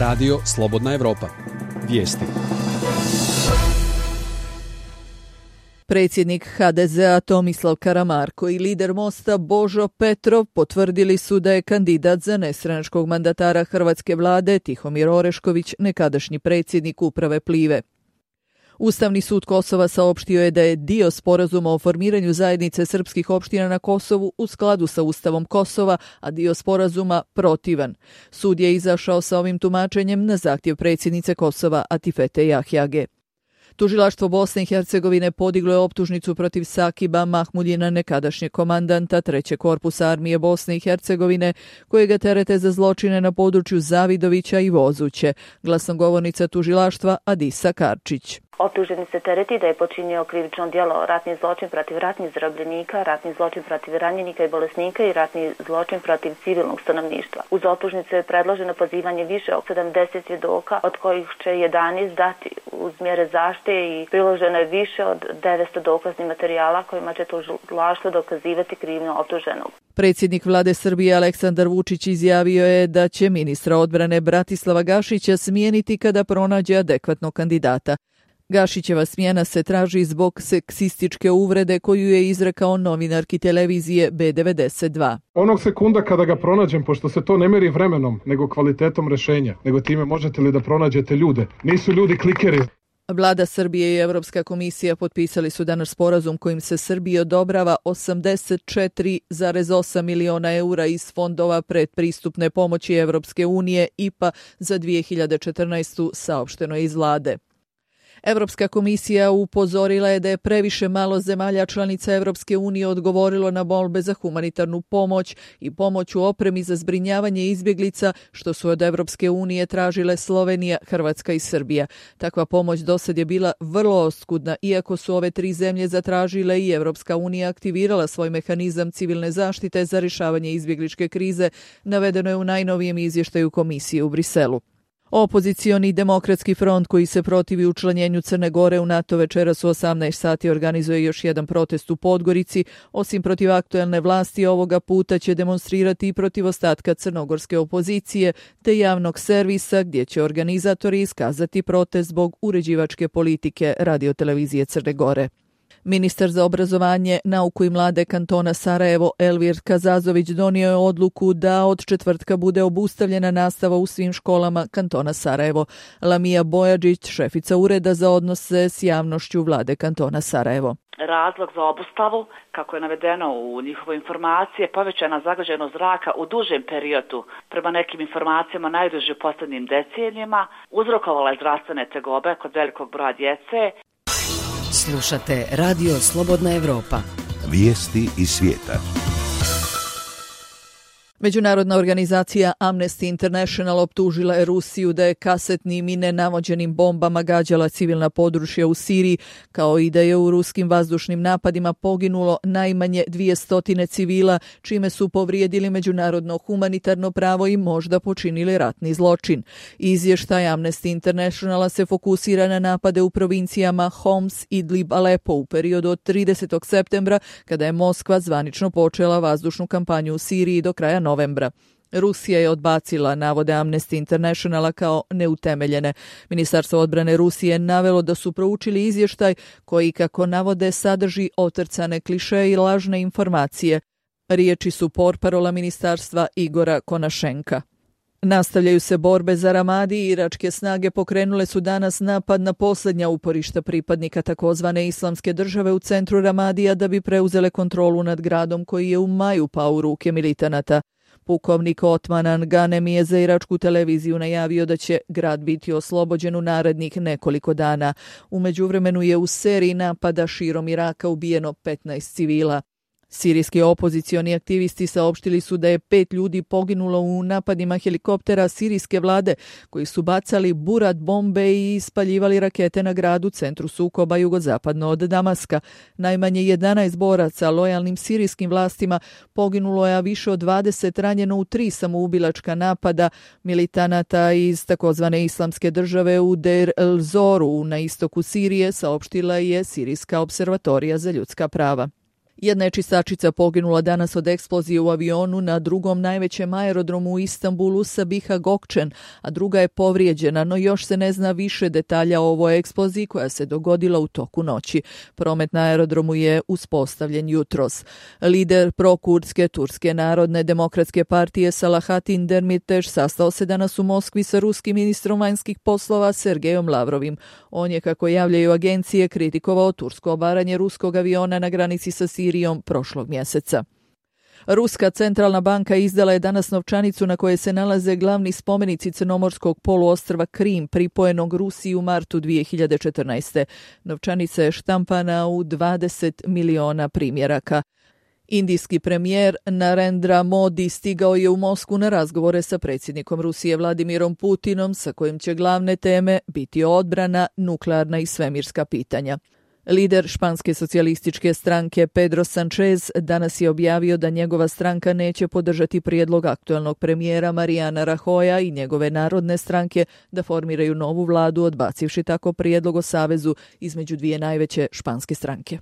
Radio Slobodna Evropa. Vijesti. Predsjednik HDZ-a Tomislav Karamarko i lider Mosta Božo Petrov potvrdili su da je kandidat za nestranačkog mandatara hrvatske vlade Tihomir Orešković nekadašnji predsjednik uprave Plive. Ustavni sud Kosova saopštio je da je dio sporazuma o formiranju zajednice srpskih opština na Kosovu u skladu sa Ustavom Kosova, a dio sporazuma protivan. Sud je izašao sa ovim tumačenjem na zahtjev predsjednice Kosova Atifete Jahjage. Tužilaštvo Bosne i Hercegovine podiglo je optužnicu protiv Sakiba Mahmuljina, nekadašnjeg komandanta 3. korpusa armije Bosne i Hercegovine, kojega terete za zločine na području Zavidovića i Vozuće. Glasnogovornica tužilaštva Adisa Karčić. Optuženi se tereti da je počinio krivično djelo ratni zločin protiv ratnih zarobljenika, ratni zločin protiv ranjenika i bolesnika i ratni zločin protiv civilnog stanovništva. Uz optužnicu je predloženo pozivanje više od 70 svjedoka, od kojih će 11 dati uz mjere zaštite i priloženo je više od 900 dokaznih materijala kojima će tužilaštvo dokazivati krivnju optuženog. Predsjednik vlade Srbije Aleksandar Vučić izjavio je da će ministra odbrane Bratislava Gašića smijeniti kada pronađe adekvatnog kandidata. Gašićeva smjena se traži zbog seksističke uvrede koju je izrekao novinarki televizije B92. Onog sekunda kada ga pronađem, pošto se to ne meri vremenom, nego kvalitetom rešenja, nego time možete li da pronađete ljude. Nisu ljudi klikeri. Vlada Srbije i Evropska komisija potpisali su danas sporazum kojim se Srbiji odobrava 84,8 miliona eura iz fondova predpristupne pomoći Evropske unije IPA za 2014. saopšteno iz vlade. Evropska komisija upozorila je da je previše malo zemalja članica Evropske unije odgovorilo na molbe za humanitarnu pomoć i pomoć u opremi za zbrinjavanje izbjeglica, što su od Evropske unije tražile Slovenija, Hrvatska i Srbija. Takva pomoć dosad je bila vrlo oskudna, iako su ove tri zemlje zatražile i Evropska unija aktivirala svoj mehanizam civilne zaštite za rješavanje izbjegličke krize, navedeno je u najnovijem izvještaju komisije u Briselu. Opozicioni demokratski front koji se protivi učlanjenju Crne Gore u NATO večeras u 18 sati organizuje još jedan protest u Podgorici. Osim protiv aktuelne vlasti, ovoga puta će demonstrirati i protiv ostatka crnogorske opozicije te javnog servisa, gdje će organizatori iskazati protest zbog uređivačke politike radiotelevizije Crne Gore. Ministar za obrazovanje, nauku i mlade kantona Sarajevo Elvir Kazazović donio je odluku da od četvrtka bude obustavljena nastava u svim školama kantona Sarajevo. Lamija Bojađić, šefica ureda za odnose s javnošću vlade kantona Sarajevo. Razlog za obustavu, kako je navedeno u njihovoj informaciji, je povećana zagađenost zraka u dužem periodu, prema nekim informacijama najduže u posljednjim decenijima, uzrokovala je zdravstvene tegobe kod velikog broja djece. Slušate Radio Slobodna Evropa. Vijesti iz svijeta. Međunarodna organizacija Amnesty International optužila je Rusiju da je kasetnim i nenavođenim bombama gađala civilna područja u Siriji, kao i da je u ruskim vazdušnim napadima poginulo najmanje 200 civila, čime su povrijedili međunarodno humanitarno pravo i možda počinili ratni zločin. Izvještaj Amnesty Internationala se fokusira na napade u provincijama Homs, Idlib, Alepo u periodu od 30. septembra, kada je Moskva zvanično počela vazdušnu kampanju u Siriji do kraja novembra. Rusija je odbacila navode Amnesty Internationala kao neutemeljene. Ministarstvo odbrane Rusije navelo da su proučili izvještaj koji, kako navode, sadrži otrcane klišeje i lažne informacije. Riječi su portparola ministarstva Igora Konašenka. Nastavljaju se borbe za Ramadi i iračke snage pokrenule su danas napad na posljednja uporišta pripadnika takozvane islamske države u centru Ramadija da bi preuzele kontrolu nad gradom koji je u maju pao u ruke militanata. Pukovnik Otmanan Ganemi je za iračku televiziju najavio da će grad biti oslobođen u narednih nekoliko dana. U međuvremenu je u seriji napada širom Iraka ubijeno 15 civila. Sirijski opozicioni aktivisti saopštili su da je 5 ljudi poginulo u napadima helikoptera sirijske vlade koji su bacali burat bombe i ispaljivali rakete na gradu centru sukoba jugozapadno od Damaska. Najmanje 11 boraca lojalnim sirijskim vlastima poginulo je, a više od 20 ranjeno u 3 samoubilačka napada militanata iz takozvane islamske države u Deir el-Zoru na istoku Sirije, saopštila je Sirijska observatorija za ljudska prava. Jedna je čistačica poginula danas od eksplozije u avionu na drugom najvećem aerodromu u Istanbulu Sabiha Gökçen, a druga je povrijeđena, no još se ne zna više detalja o ovoj eksploziji koja se dogodila u toku noći. Promet na aerodromu je uspostavljen jutros. Lider prokurdske Turske narodne demokratske partije Selahattin Demirtaş sastao se danas u Moskvi sa ruskim ministrom vanjskih poslova Sergejom Lavrovim. On je, kako javljaju agencije, kritikovao tursko obaranje ruskog aviona na granici sa Sirijom prošlog mjeseca. Ruska centralna banka izdala je danas novčanicu na kojoj se nalaze glavni spomenici crnomorskog poluostrva Krim, pripojenog Rusiji u martu 2014. Novčanica je štampana u 20 miliona primjeraka. Indijski premijer Narendra Modi stigao je u Moskvu na razgovore sa predsjednikom Rusije Vladimirom Putinom, sa kojim će glavne teme biti odbrana, nuklearna i svemirska pitanja. Lider španske socijalističke stranke Pedro Sanchez danas je objavio da njegova stranka neće podržati prijedlog aktualnog premijera Mariana Rajoya i njegove narodne stranke da formiraju novu vladu, odbacivši tako prijedlog o savezu između dvije najveće španske stranke.